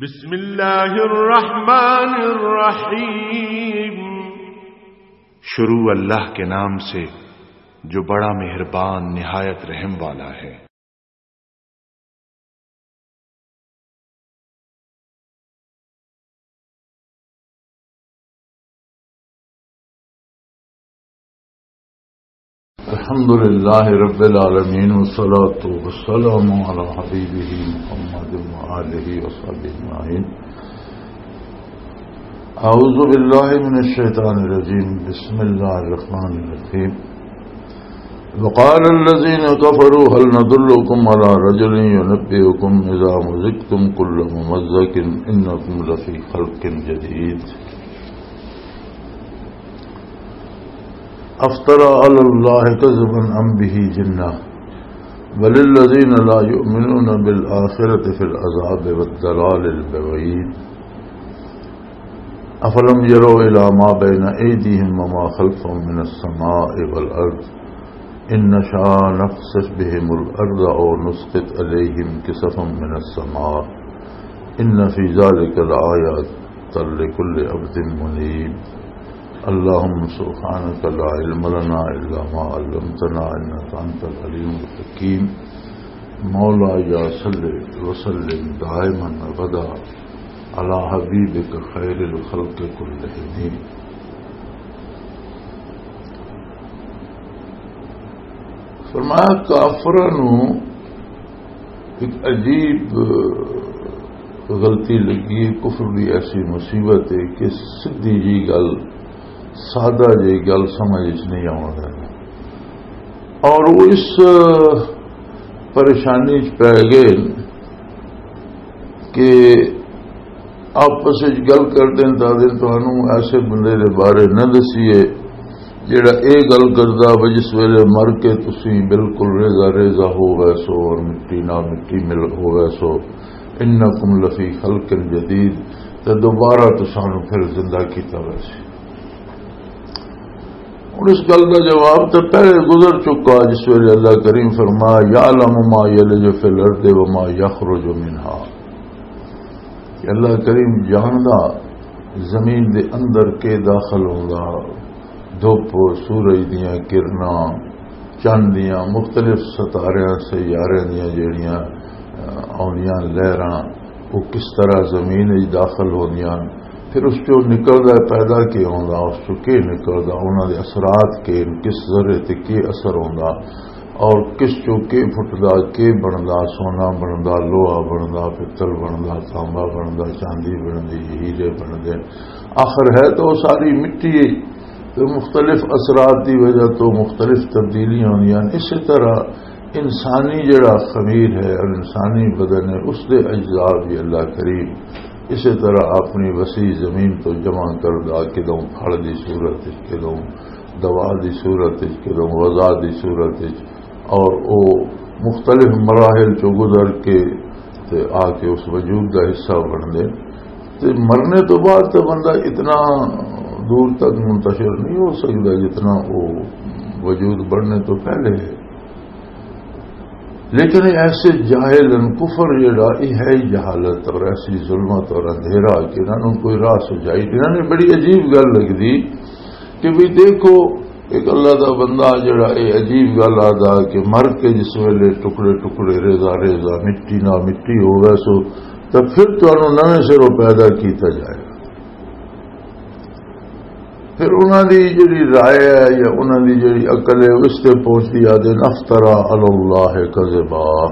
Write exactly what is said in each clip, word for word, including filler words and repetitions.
بسم اللہ الرحمن الرحیم۔ شروع اللہ کے نام سے، جو بڑا مہربان، نہایت رحم والا ہے۔ الحمد لله رب العالمين، والصلاة والسلام على حبيبه محمد وآله وصحبه أجمعين. أعوذ بالله من الشيطان الرجيم. بسم الله الرحمن الرحيم. وقال الذين كفروا هل ندلكم على رجل ينبئكم إذا مزقتم كل ممزق إنكم لفي خلق جديد. أفترى على الله كذبا أم به جنة، بل الذين لا يؤمنون بالآخرة في العذاب والضلال البعيد. أفلم يروا إلى ما بين أيديهم وما خلفهم من السماء والأرض إن نشأ نخسف بهم الأرض أو نسقط عليهم كسفا من السماء إن في ذلك لآية لكل عبد منيب. اللهم سبحانك لا علم لنا إلا ما علمتنا إنك أنت العليم الحكيم. مولاي صل وسلم دائما أبدا على حبيبك خير الخلق كلهم. فرمایا، کافراں نوں ایک عجیب غلطی لگی ہے۔ کفر دی ایسی مصیبت ہے کہ سدھی جی گل، سادہ جی گل سمجھ وچ نہیں آوندی۔ اور وہ اس پریشانی وچ پی گئے کہ آپس وچ گل کردے نے، تاں دے تانوں ایسے بندے دے بارے نہ دسیے جڑا اے گل کردا وے جس ویلے مر کے تسی بالکل ریزہ ریزہ ہو ویسو اور مٹی نال مٹی مل ہو ویسو۔ انکم لفی خلق جدید، تے دوبارہ تسانوں پھر زندہ کیتا ویسے۔ ہن اس گل دا جواب تے پہلے گزر چکا، جس ویلے اللہ کریم فرمایا، "یعلم ما یلج فی الارض و ما یخرج منہا"، کہ اللہ کریم جاندا زمین دے اندر کے داخل ہوندا، دھوپ، سورج دیاں کرناں، چند دیاں مختلف ستاریاں، سیاریاں دیاں جڑیاں، آ، آوندیاں لہراں، وہ کس طرح زمین وچ داخل ہوندیاں، پھر اس چوں نکلدا پیدا کی ہوندا، اس چوں کی نکلدا، انہاں دے اثرات کی، کس ذرے تے کی اثر ہوندا، اور کس چوں کی پھٹدا، کی بندا، سونا بندا، لوہا بندا، پتل بندا، تانبا بندا، چاندی بندی، ہیرے بندے، آخر ہے تو وہ ساری مٹی ہے۔ تو مختلف اثرات دی وجہ تو مختلف تبدیلیاں ہوندیاں ہن۔ اسی طرح انسانی جڑا خمیر ہے اور انسانی بدن ہے، اس دے اجزاء بھی اللہ کریم اسی طرح اپنی وسیع زمین تو جمع کردا، کدوں پھل دی صورت وچ، کدوں دوا دی صورت وچ، کدوں غذا دی صورت وچ، اور او مختلف مراحل چوں گزر کے تے آ کے اس وجود دا حصہ بن دے۔ تے مرنے تو بعد تے بندہ اتنا دور تک منتشر نہیں ہو سکدا جتنا وہ وجود بڑھنے تو پہلے ہے۔ لیکن ایسے جاہل ان، کفر جڑا، یہ ہے ہی جہالت اور ایسی ظلمت اور اندھیرا کہ انہاں نوں کوئی راہ سجائی نہیں۔ انہاں نے بڑی عجیب گل لگدی کہ بھی دیکھو، ایک اللہ دا بندہ جڑا یہ عجیب گل آدا کہ مر کے جس ویلے ٹکڑے ٹکڑے، ریزہ ریزہ، مٹی نہ مٹی ہو ویسو، تو پھر تانوں نویں سروں پیدا کیتا جائے گا۔ پھر انہاں دی جڑی رائے ہے یا انہاں دی جڑی عقل ہے، اس تے پہنچدی، آدھے، "افترا علی اللہ کذبا"،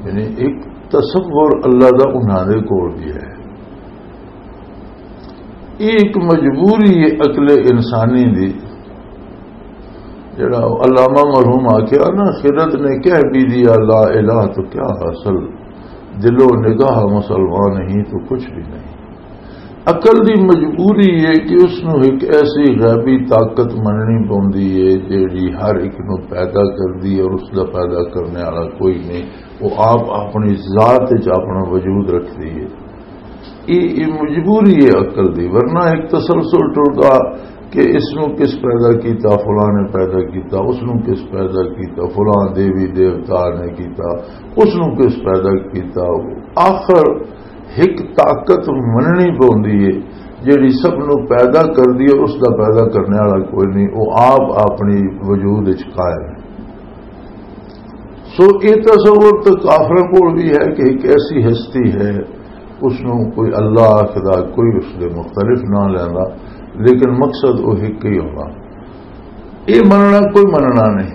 یعنی ایک تصور اللہ دا انہاں دے کول بھی ہے۔ یہ ایک مجبوری ہے عقل انسانی دی۔ جڑا علامہ مرحوم آکھیا نا، خرد نے کہہ بھی دیا لا الہ تو کیا حاصل، دل و نگاہ مسلمان نہیں تو کچھ بھی نہیں۔ عقل دی مجبوری ہے کہ اس نو ایک ایسی غیبی طاقت مننی پوندی ہے جیڑی ہر ایک نو پیدا کردی ہے اور اس دا پیدا کرنے والا کوئی نہیں، وہ آپ اپنی ذات وچ اپنا وجود رکھدی ہے۔ یہ یہ مجبوری ہے عقل دی، ورنہ ایک تسلسل ٹردا کہ اس نو کس پیدا کیتا، فلاں نے پیدا کیتا، اس نو کس پیدا کیتا، فلاں دیوی دیوتا نے کیتا، اس نو کس پیدا کیتا۔ آخر ایک طاقت مننی پوندی ہے، جڑی سب نو پیدا کر دی ہے، اس دا پیدا کرنے والا کوئی نہیں، وہ آپ اپنی وجود وچ قائم ہے۔ سو یہ تصور تو کافروں کول بھی ہے کہ ایک ایسی ہستی ہے، اس نو کوئی اللہ آخدا، کوئی اس دے مختلف نہ لینا، لیکن مقصد وہ ایک ہی ہونا۔ یہ مننا کوئی مننا نہیں۔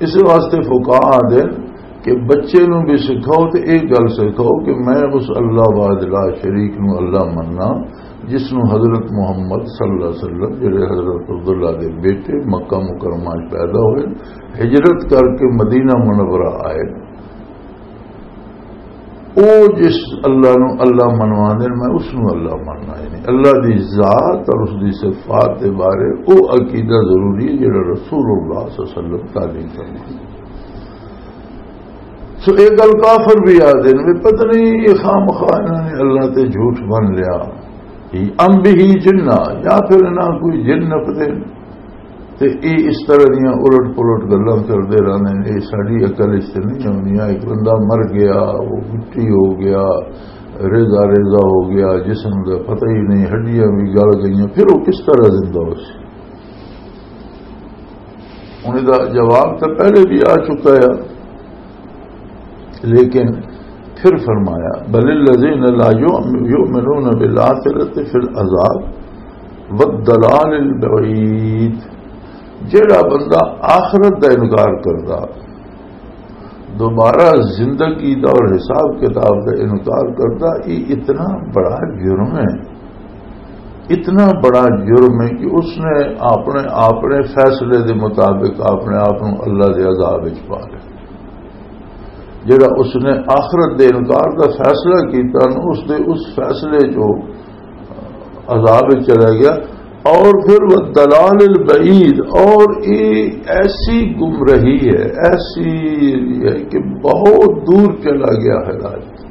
اس واسطے فقہا آدھے کہ بچے نو بھی سکھاؤ تو یہ گل سکھاؤ کہ میں اس اللہ وحدہ لا شریک نو اللہ مننا، جس نو حضرت محمد صلی اللہ علیہ وسلم، جڑے حضرت عبداللہ دے بیٹے، مکہ مکرمہ وچ پیدا ہوئے، ہجرت کر کے مدینہ منورہ آئے۔ او جس اللہ نو اللہ منوا دین، میں اس نو اللہ مننا ہے نہیں۔ اللہ دی ذات اور اس دی صفات دے بارے او عقیدہ ضروری ہے، جڑا رسول اللہ صلی اللہ علیہ وسلم تعلیم فرمایا۔ سو یہ گل کافر بھی آ دین، بھی پتہ نہیں یہ خام خواہ انہوں نے اللہ تے جھوٹ بن لیا، ام بھی جنہ، یا پھر انہاں کوئی جن نپدے۔ تے یہ اس طرح دیاں الٹ پلٹ گلاں کردے رہندے نے، یہ ساری عقل اس تے نہیں آندیاں۔ ایک بندہ مر گیا، وہ مٹی ہو گیا، ریزہ ریزہ ہو گیا، جسم دا پتہ ہی نہیں، ہڈیاں بھی گل گئیاں، پھر وہ کس طرح زندہ ہو سی؟ انہیں دا جواب تو پہلے بھی آ چکا ہے، لیکن پھر فرمایا، بل الذین لا یؤمنون بالآخرۃ فی العذاب والضلال البعید۔ جیڑا بندہ آخرت دا انکار کردا، دوبارہ زندگی دا اور حساب کتاب دا انکار کردا، یہ اتنا بڑا جرم ہے، اتنا بڑا جرم ہے کہ اس نے اپنے، اپنے فیصلے دے مطابق اپنے آپ نو اللہ دے عذاب وچ پا لیا۔ جڑا اس نے آخرت دے انکار دا فیصلہ کیتا نا، اس دے اس فیصلے جو عذاب وچ چلا گیا۔ اور پھر وہ دلال البعید، اور یہ ایسی گمراہی ہے، ایسی ہے کہ بہت دور چلا گیا ہدایت۔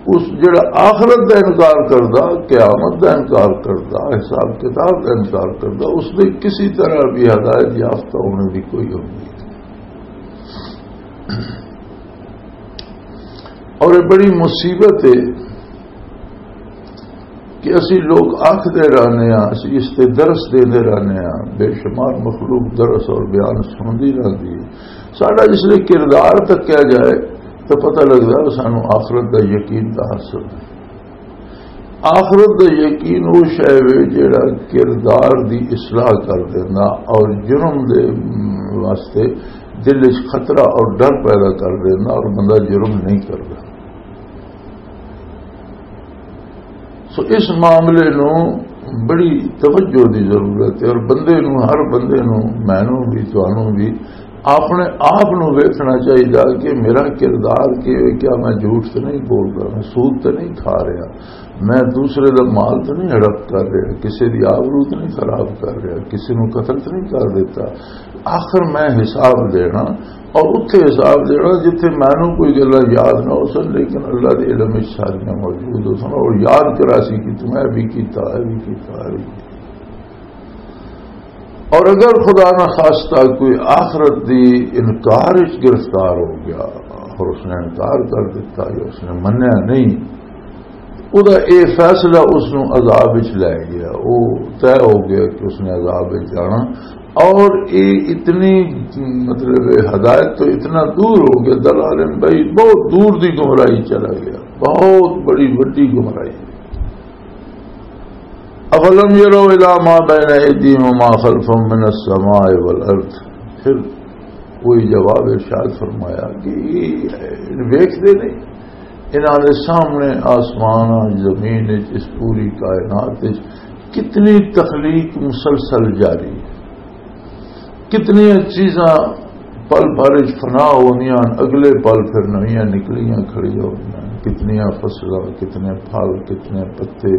اس جڑا آخرت دا انکار کردا، قیامت دا انکار کردا، حساب کتاب دا انکار کردا، اس دے کسی طرح بھی ہدایت یافتہ ہونے دی کوئی امید نہیں۔ اور یہ بڑی مصیبت ہے کہ اسی لوگ آکھدے رہنے ہاں، اسی اس تے درس دیندے رہنے ہاں، بے شمار مخلوق درس اور بیان سنتی رہتی ہے۔ ساڈا جس لئے کردار تکیا جائے تو پتہ لگدا ہے سانو آخرت دا یقین دا حاصل ہے۔ آخرت دا یقین وہ شے وے جڑا کردار دی اصلاح کر دینا اور جرم دے واسطے دل وچ خطرہ اور ڈر پیدا کر دینا اور بندہ جرم نہیں کردا۔ سو اس معاملے نو بڑی توجہ دی ضرورت ہے اور بندے نو، ہر بندے نو، مینوں بھی، تانوں بھی اپنے آپ نو ویکھنا چاہیدا کہ میرا کردار کی ہے، کیا میں جھوٹ تے نہیں بول رہا، میں سود تے نہیں کھا رہا، میں دوسرے دا مال تے نہیں ہڑپ کر رہا، کسی دی آبرو تے نہیں خراب کر رہا، کسی نو قتل تے نہیں کر دیتا۔ آخر میں حساب دینا، اور اتھے حساب دینا جتھے مینوں کوئی گلاں یاد نہ ہو سن، لیکن اللہ دے علم وچ ساریاں موجود ہو سن اور یاد کرا سی کہ تم اے بھی کیتا، اے بھی کیتا، اے بھی کیتا۔ اور اگر خدا نہ خواستہ کوئی آخرت دی انکار وچ گرفتار ہو گیا اور اس نے انکار کر دیتا یا اس نے منیا نہیں، او دا اے فیصلہ اس نوں عذاب وچ لے گیا، او طے ہو گیا کہ اس نے عذاب وچ جانا۔ اور اے اتنی، مطلب، ہدایت تو اتنا دور ہو گیا، دلال بعید، بہت دور دی گمراہی چلا گیا، بہت بڑی وڈی گمراہی۔ افلم یروا الی ما بین ایدیہم وما خلفہم من السماء والارض۔ پھر وہی جواب ارشاد فرمایا کہ یہ ویکھدے نہیں، انہاں دے سامنے آسمان، زمین وچ، اس پوری کائنات وچ کتنی تخلیق مسلسل جاری ہے، کتنی چیزاں پل بھر وچ فنا ہوندیاں ہن، اگلے پل پھر نویاں نکلیاں کھڑیاں ہوندیاں ہن۔ کتنیاں فصلاں، کتنے پھل، کتنے پتے،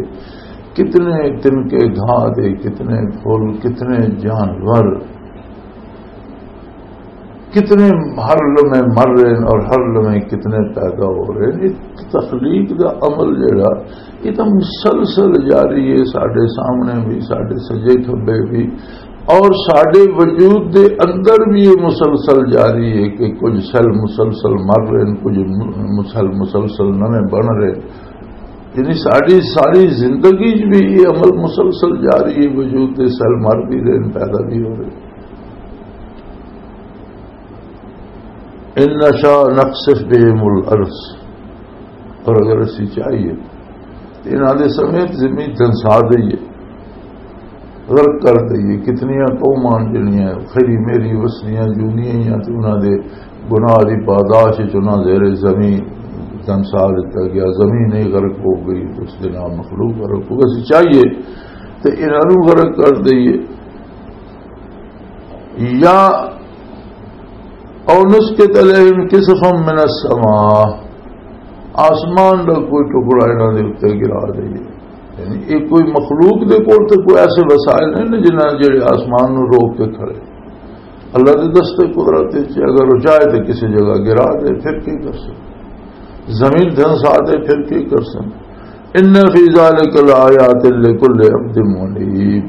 کتنے تنکے گھاہ دے، کتنے پھل، کتنے جانور۔ کتنے ہر لمحے مر رہے ہیں اور ہر لمحے کتنے پیدا ہو رہے ہیں۔ یہ تخلیق دا عمل جڑا، یہ تو مسلسل جاری ہے، ساڈے سامنے بھی، ساڈے سجے کھبے بھی، اور ساڈے وجود دے اندر بھی یہ مسلسل جاری ہے کہ کچھ سیل مسلسل مر رہے ہیں، کچھ م-، سیل مسلسل نویں بن رہے ہیں۔ یعنی ساڈی ساری زندگی چ بھی یہ عمل مسلسل جاری ہے، وجود دے سیل مر بھی رہے ہیں، پیدا بھی ہو رہے ہیں۔ ان نشا نقصف بهم الارض، اور اگر اسی چاہیے تو انہاں دے سمیت زمین دھنسا دئیے، غرق کر دئیے۔ کتنیاں قوماں جڑیاں خیری میری وسنیاں جونیاں ہیاں تے انہاں دے گناہ دی پاداش وچ انہاں زیر زمین دھنسا دتا گیا، زمین ہی غرق ہو گئی، اس دے نال مخلوق غرق ہو گئی۔ اسی چاہیے تے انہاں نوں غرق کر دئیے، یا او نسقط علیہم کسفا من السماء، آسمان دا کوئی ٹکڑا انہاں دے اوتے گرا دئیے۔ یعنی یہ کوئی مخلوق دے کول تے کوئی ایسے وسائل نہیں نے جنہاں جڑے آسمان نو روک کے کھڑے۔ اللہ دے دستے قدرت وچ اگر وہ چاہے تے کسی جگہ گرا دے، پھر کی کر سن؟ زمین دھنسا دے، پھر کی کر سن؟ ان فی ذلک لآیات لکل عبد منیب۔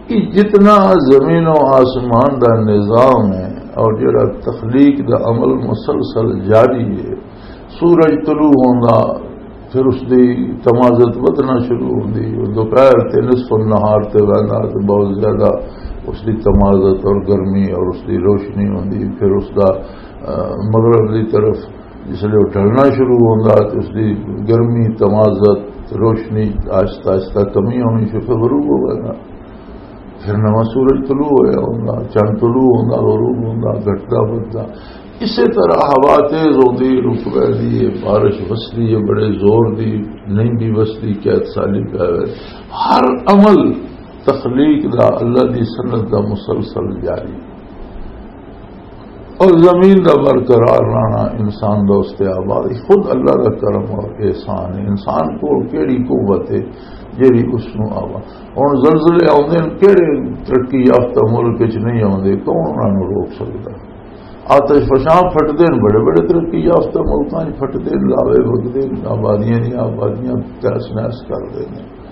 یہ جتنا زمین و آسمان دا نظام ہے اور جڑا تخلیق دا عمل مسلسل جاری ہے، سورج طلوع ہوندا، پھر اس دی تمازت ودھنا شروع ہوندی، وہ دوپہر تے نصف النہار تے ویندا تے بہت زیادہ اس دی تمازت اور گرمی اور اس دی روشنی ہوندی، پھر اس دا، آ، مغرب دی طرف جس لے وہ ڈھلنا شروع ہوندا تے اس دی گرمی، تمازت، روشنی آہستہ آہستہ کمی ہونی شروع، پھر غروب ہو ویندا۔ پھر نواں سورج طلوع ہویا ہوندا، چند طلوع ہوندا، غروب ہوندا، گھٹدا بددا۔ اسی طرح ہوا تیز ہوندی، رک ویندی ہے، بارش وسدی ہے، بڑے زور دی نہیں بھی وسدی، قحط سالی پہ وے۔ ہر عمل تخلیق دا، اللہ دی سنت دا مسلسل جاری۔ اور زمین دا برقرار رہنا، انسان دا اس تے آباد، خود اللہ دا کرم اور احسان ہے۔ انسان کول کیڑی قوت ہے جیڑی اس نوں آوا؟ ہن زلزلے آوندے نے، کیڑے ترقی یافتہ ملک وچ نہیں آوندے، کون انہاں نوں روک سکدا؟ آتش فشاں پھٹدے نے، بڑے بڑے ترقی یافتہ ملکاں وچ پھٹدے نے، لاوے وگدے نے، آبادیاں دیاں آبادیاں تہس نہس کر دے نے۔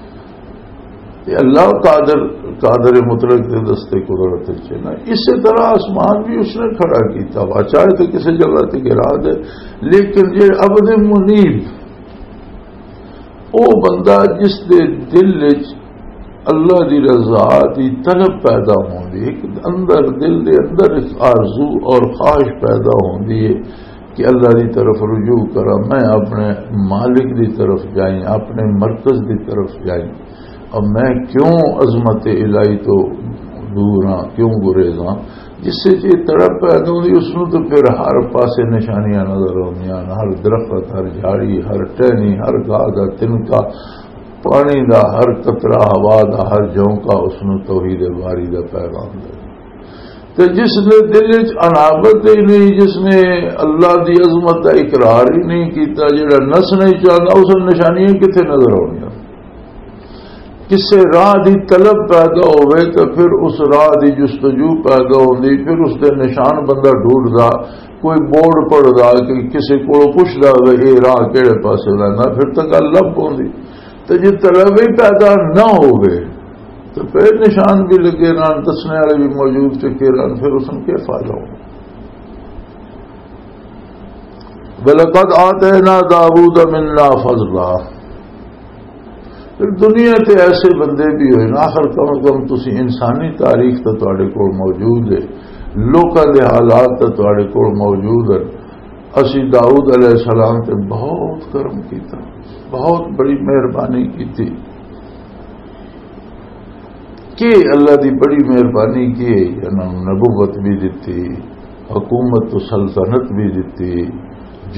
تے اللہ قادر، قادر مطلق دے دستے قدرت وچ ہے نا۔ اسی طرح آسمان بھی اس نے کھڑا کیتا وا، چاہے تے کسی جگہ تے گرا دے، لیکن جے عبد منیب، او بندہ جس دے دل وچ اللہ دی رضا دی طلب پیدا ہوندی، ایک اندر، دل دے اندر ایک آرزو اور خواہش پیدا ہوندی ہے کہ اللہ دی طرف رجوع کراں، میں اپنے مالک دی طرف جائیں، اپنے مرکز دی طرف جائیں۔ اب میں کیوں عظمت الہی تو دور ہاں، کیوں گریز ہاں؟ جس سے یہ تڑپ پیدا ہوندی، اس نوں تو پھر ہر پاسے نشانیاں نظر آندیاں، ہر درخت، ہر جھاڑی، ہر ٹہنی، ہر گاہ دا تنکا، پانی دا ہر قطرہ، ہوا دا ہر جھونکا اس نوں توحید باری دا پیغام دے۔ تے جس دے دل وچ انابت ہی نہیں، جس نے اللہ دی عظمت دا اقرار ہی نہیں کیتا، جڑا نس نہیں چاہتا، اس نوں نشانیاں کتھے نظر آنیاں؟ کسے راہ دی طلب پیدا ہوئے تے پھر اس راہ دی جستجو پیدا ہوندی، پھر اس دے نشان بندہ ڈھونڈدا، کوئی بورڈ پڑھدا کہ کسے کولوں پچھدا ہوئے، "اے راہ کیڑے پاسے ویندا؟" پھر تاں گل لب پوندی۔ تے جے طلب ہی پیدا نہ ہوئے تے پھر نشان بھی لگے رہن، دسنے والے بھی موجود ٹکے رہن، پھر اس نوں کیا فائدہ ہونا؟ وَلَقَدْ آتَيْنَا دَاوُودَ مِنَّا فَضْلًا۔ پھر دنیا تے ایسے بندے بھی ہوئے نا، آخر کم از کم تسی انسانی تاریخ تے تواڈے کول موجود ہے، لوکاں دے حالات تے تواڈے کول موجود ہیں۔ اسی داؤد علیہ السلام تے بہت کرم کیتا، بہت بڑی مہربانی کیتی۔ کہ اللہ دی بڑی مہربانی کی ہے، انہاں نوں نبوت بھی دتی، حکومت تو سلطنت بھی دتی،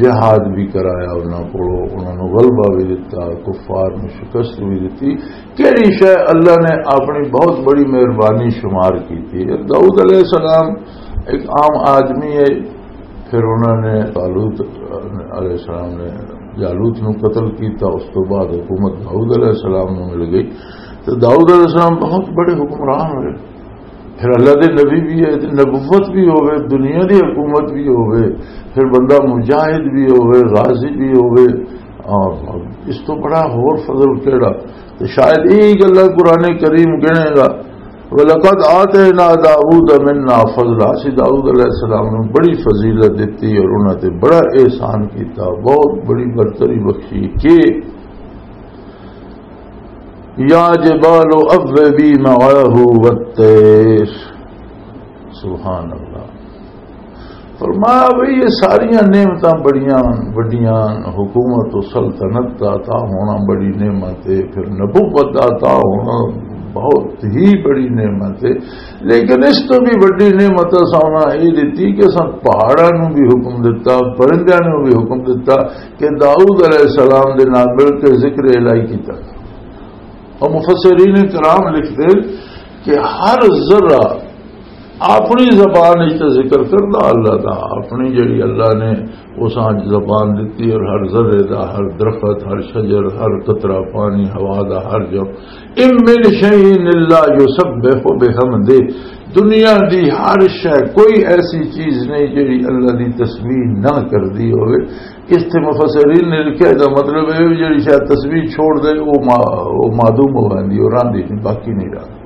جہاد بھی کرایا انہاں کولوں، انہاں نوں غلبہ بھی دتا، کفار نوں شکست بھی دتی۔ کیڑی شے اللہ نے اپنی بہت بڑی مہربانی شمار کیتی ہے؟ داؤد علیہ السلام ایک عام آدمی ہے، پھر انہوں نے طالوت علیہ السلام نے جالوت نو قتل کیتا، اس تو بعد حکومت داؤد علیہ السلام نو مل گئی۔ تو داؤد علیہ السلام بہت بڑے حکمران ہوئے۔ پھر اللہ دے نبی بھی ہے، تے نبوت بھی ہوے، دنیا دی حکومت بھی ہوے، پھر بندہ مجاہد بھی ہوے، غازی بھی ہوے، اور اس تو بڑا ہور فضل کیڑا؟ تے شاید یہی گلاں قرآن کریم گنے گا، "وَلَقَدْ آتَيْنَا دَاوُودَ مِنَّا فَضْلًا"، اسی داؤد علیہ السلام نوں بڑی فضیلت دتی اور انہاں تے بڑا احسان کیتا، بہت بڑی برتری بخشی کہ "یا جبال اوّبی معہ والطیر۔" سبحان اللہ۔ فرمایا بھئی، یہ ساریاں نعمتاں بڑیاں وڈیاں، حکومت و سلطنت دا عطا ہونا بڑی نعمت ہے، پھر نبوت دا عطا ہونا بہت ہی بڑی نعمت ہے، لیکن اس تو بھی وڈی نعمت اساں انہاں یہ دتی کہ اساں پہاڑاں نوں بھی حکم دتا، پرندیاں نوں بھی حکم دتا کہ داؤد علیہ السلام دے نال مل کے ذکر الہی کیتا۔ اور مفسرین کرام لکھتے کہ ہر ذرہ اپنی زبان وچ تے ذکر کردا اللہ دا، اپنی جڑی اللہ نے اس وچ زبان دتی، اور ہر ذرے دا، ہر درخت، ہر شجر، ہر قطرہ پانی، ہوا دا ہر جو، "ان من شیء الا یسبح بحمدہ"، دنیا دی ہر شے، کوئی ایسی چیز نہیں جڑی اللہ دی تسبیح نہ کردی ہوئے۔ اس تے مفسرین نے لکھیا، دا مطلب ہے جڑی شے تسبیح چھوڑ دے، وہ ما-، وہ معدوم ہو جاندی، وہ راندی نہیں، باقی نہیں رہندی۔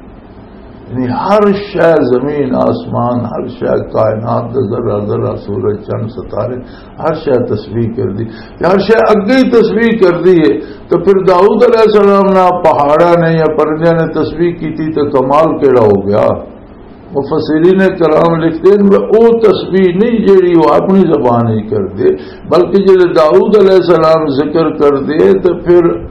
یعنی ہر شے، زمین، آسمان، ہر شے، کائنات دا ذرہ ذرہ، سورج، چند، ستارے، ہر شے تسبیح کردی۔ تے ہر شے اگے ہی تسبیح کردی ہے۔ تو پھر داؤد علیہ السلام نہ پہاڑاں نے یا پرندیاں نے تسبیح کیتی تو کمال کیڑا ہو گیا؟ مفسرین کرام لکھتے ہیں کہ وہ تسبیح نہیں جیڑی وہ اپنی زبان ہی کردے، بلکہ جڑے داؤد علیہ السلام ذکر کردے تو پھر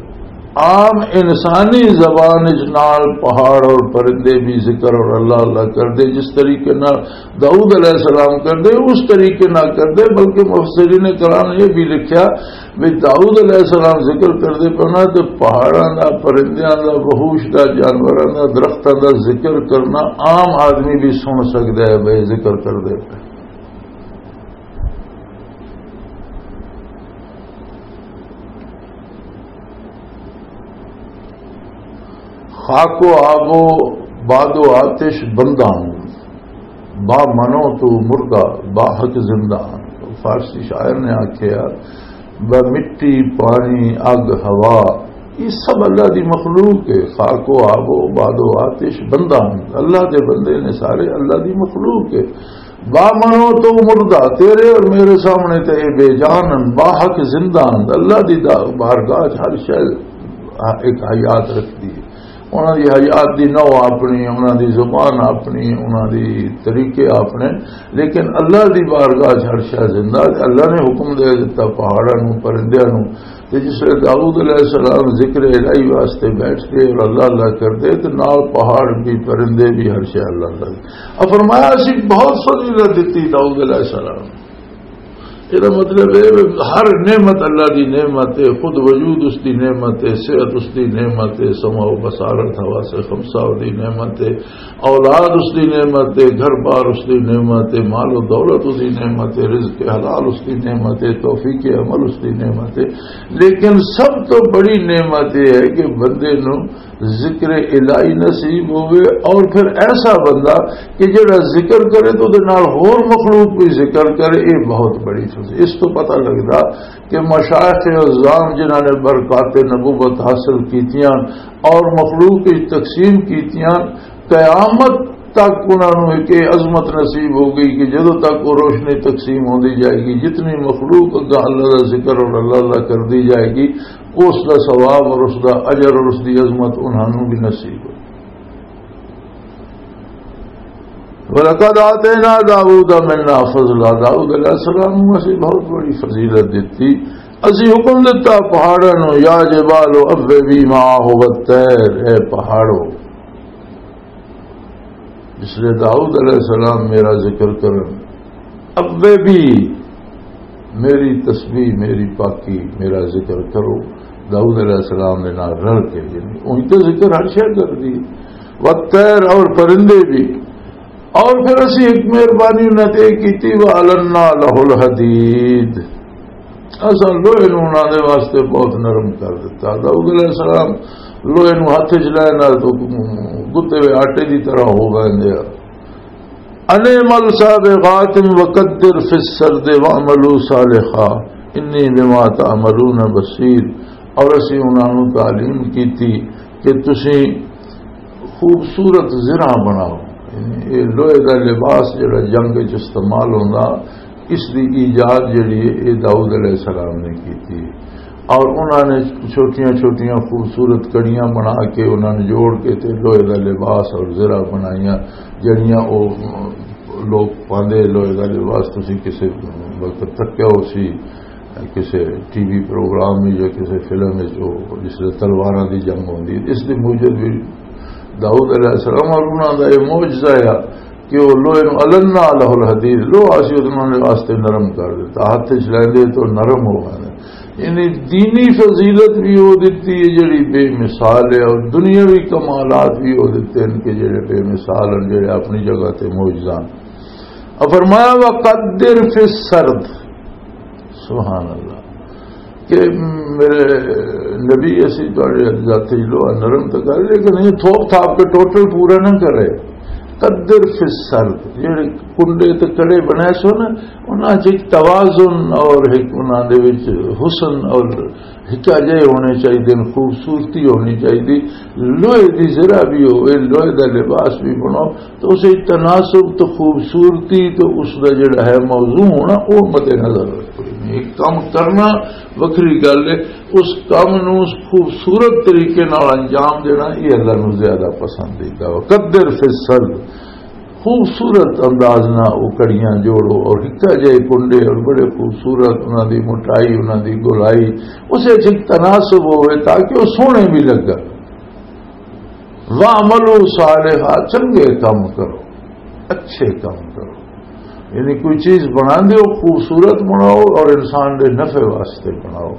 عام انسانی زبان اچ نال پہاڑ اور پرندے بھی ذکر اور اللہ اللہ کردے، جس طریقے نال داؤد علیہ السلام کردے، اس طریقے نال کردے۔ بلکہ مفسرین کرام نے یہ بھی لکھیا بھی داؤد علیہ السلام ذکر کردے پنا تے پہاڑاں دا، پرندیاں دا، وحوش دا، جانوراں دا، درختاں دا ذکر کرنا عام آدمی بھی سن سکدا ہے بھائی ذکر کردے پے۔ خاک و آب و باد و آتش بندہ ہوں، با منو تو مردہ، با حق زندہ ہوں۔ فارسی شاعر نے آکھیا، با مٹی، پانی، اگ، ہوا، یہ سب اللہ دی مخلوق ہے۔ خاک و آب و باد و آتش بندہ ہوں، اللہ دے بندے نے سارے، اللہ دی مخلوق ہے۔ با منو تو مردہ، تیرے اور میرے سامنے تے اے بے جان ہن، با حق زندہ ہن۔ اللہ دی دا-، بارگاہ چ ہر شے ایک حیات رکھدی ہے۔ انہاں دی حیات دی نو اپنی، انہاں دی زبان اپنی، انہاں دی طریقے اپنے، لیکن اللہ دی بارگاہ چ ہر شے زندہ ہے۔ اللہ نے حکم دے دتا پہاڑاں نوں، پرندیاں نوں، تے جس ویلے داؤد علیہ السلام ذکر الہی واسطے بیٹھ کے اور اللہ اللہ کردے، تے نال پہاڑ بھی، پرندے بھی، ہر شے اللہ اللہ۔ اور فرمایا، اسی بہت فضیلت دتی داؤد علیہ السلام۔ یہ مطلب ہے، ہر نعمت اللہ دی نعمت ہے، خود وجود اس دی نعمت ہے، صحت اس دی نعمت ہے، سمع و بصارت، حواس خمسہ دی نعمت ہے، اولاد اس دی نعمت ہے، گھر بار اس دی نعمت ہے، مال و دولت اس دی نعمت ہے، رزق حلال اس دی نعمت ہے، توفیق عمل اس دی نعمت ہے۔ لیکن سب تو بڑی نعمت یہ ہے کہ بندے نو ذکر الہی نصیب ہوئے، اور پھر ایسا بندہ کہ جڑا ذکر کرے تو دے نال ہور مخلوق بھی ذکر کرے، یہ بہت بڑی چیز۔ اس تو پتہ لگدا کہ مشائخ عظام جنہاں نے برکات نبوت حاصل کیتیاں اور مخلوق کی تقسیم کیتیاں، قیامت تک انہاں نوں ایک یہ عظمت نصیب ہو گئی کہ جدوں تک وہ روشنی تقسیم ہوندی جائے گی، جتنی مخلوق اگاں اللہ دا ذکر اور اللہ اللہ کردی جائے گی، اس دا ثواب اور اس دا اجر اور اس دی عظمت انہاں نوں بھی نصیب ہو۔ وَلَقَدْ آتَيْنَا دَاوُودَ مِنَّا فَضْلًا، داؤد علیہ السلام نوں اسی بہت بڑی فضیلت دتی۔ اسی حکم دتا پہاڑاں نوں، "یا جبال اوّبی معہ والطیر"، اے پہاڑو، جس لئے داؤد علیہ السلام میرا ذکر کرن، اوّبی، میری تسبیح، میری پاکی، میرا ذکر کرو۔ داؤد علیہ السلام دے نال رل کے، یعنی وہی تو ذکر ہر شے کر دی، والطیر، اور پرندے بھی۔ اور پھر اسی ایک مہربانی انہاں تے کیتی، وَأَلَنَّا لَهُ الْحَدِيدَ، اساں لوہے نوں انہاں دے واسطے بہت نرم کر دتا۔ داؤد علیہ السلام لوہے نوں ہتھ وچ لے نال تو گتے ہوئے آٹے دی طرح ہو ویندے آ۔ ان اعمل سابغات وقدر فی السرد واعملوا صالحا انی بما تعملون بصیر۔ اور اسی انہاں نوں تعلیم کیتی کہ تسی خوبصورت زرہ بناؤ۔ یعنی اے لوہے دا لباس جڑا جنگ وچ استعمال ہوندا، اس دی ایجاد جڑی ہے، اے داؤد علیہ السلام نے کیتی۔ اور انہاں نے چھوٹیاں چھوٹیاں خوبصورت کڑیاں بنا کے، انہاں نے جوڑ کے تے لوہے دا لباس اور زرہ بنائیاں، جڑیاں او لوگ پاندے۔ لوہے دا لباس تسی کسے وقت تکیا ہو سی، کسے ٹی وی پروگرام وچ یا کسے فلم وچ، او جس ویلے تلواراں دی جنگ ہوندی، اس دے موجب بھی داؤد علیہ السلام اور انہاں دا یہ معجزہ ہے کہ وہ لوہے نوں النا لہ الحدید، لوہا اسی انہاں نے واسطے نرم کر دیتا، ہاتھ وچ لیندے تو نرم ہو گئے۔ یعنی دینی فضیلت بھی وہ دتی ہے جڑی بے مثال ہے، اور دنیاوی کمالات بھی وہ دتے ہیں کہ جڑے بے مثال ہیں، جڑے اپنی جگہ تے معجزہ ہیں۔ اور فرمایا، وقدر فی السرد، سبحان اللہ، کہ میرے نبی، اسی تہاڈے ذاتی لوہا نرم تو کر، لیکن یہ تھوپ تھاپ کے ٹوٹل پورا نہ کرے۔ قدر فی السرد، جڑے کنڈے تے کڑے بنائے سو نا، انہاں چ ایک توازن اور ایک انہاں دے وچ حسن اور حکا جہے ہونے چاہیے، خوبصورتی ہونی چاہیے۔ لوہے دی ذرا بھی ہوئے، لوہے دا لباس بھی بناؤ، تو اسے تناسب تو خوبصورتی تو اس دا جڑا ہے موضوع ہونا، وہ مد نظر رکھو۔ ایک کام کرنا وکھری گل ہے، اس کام نو اس خوبصورت طریقے نال انجام دینا، یہ اللہ نو زیادہ پسندیدہ ہو۔ قدر فی السرد، خوبصورت انداز نہ وہ کڑیاں جوڑو اور ہکا جائے کنڈے اور بڑے خوبصورت انہاں دی موٹائی، انہاں دی گولائی، اسے چ تناسب ہوئے تاکہ وہ سونے بھی لگا۔ وَاعْمَلُوا صَالِحًا، چنگے کام کرو، اچھے کام کرو۔ یعنی کوئی چیز بنا دیو، خوبصورت بناؤ اور انسان دے نفع واسطے بناؤ۔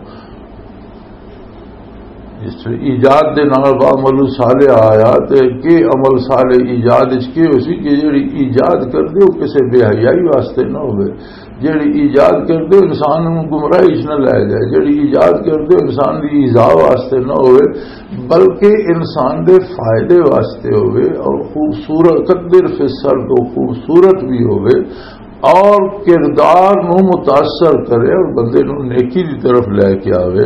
جس طرح ایجاد دے نال وَاعْمَلُوا صَالِحًا آیا، تے کہ عمل صالح ایجاد وچ کی ہو سی کہ جڑی ایجاد کر دیو کسے بے حیائی واسطے نہ ہوئے، جڑی ایجاد کر دیو انسان نوں گمراہی وچ نہ لے جائے، جڑی ایجاد کر دیو انسان دی ایذا واسطے نہ ہوئے، بلکہ انسان دے فائدے واسطے ہوئے اور خوبصورت، قدر فی السرد، خوبصورت بھی ہوئے اور کردار نو متاثر کرے اور بندے نو نیکی دی طرف لے کے آوے۔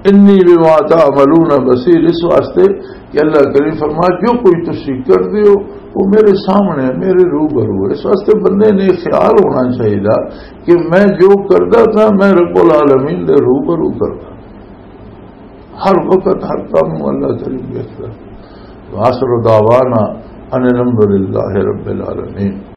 انی بما تعملون بصیر، اس واسطے کہ اللہ کریم فرما، جو کوئی تسی کر دیو، وہ میرے سامنے، میرے روبرو ہے۔ اس واسطے بندے نے خیال ہونا چاہیے کہ میں جو کردا تھا، میں رب العالمین دے روبرو کردا۔ ہر وقت ہر کام نوں اللہ کریم دیکھدا۔ وآخر دعوانا ان الحمد للہ رب العالمین۔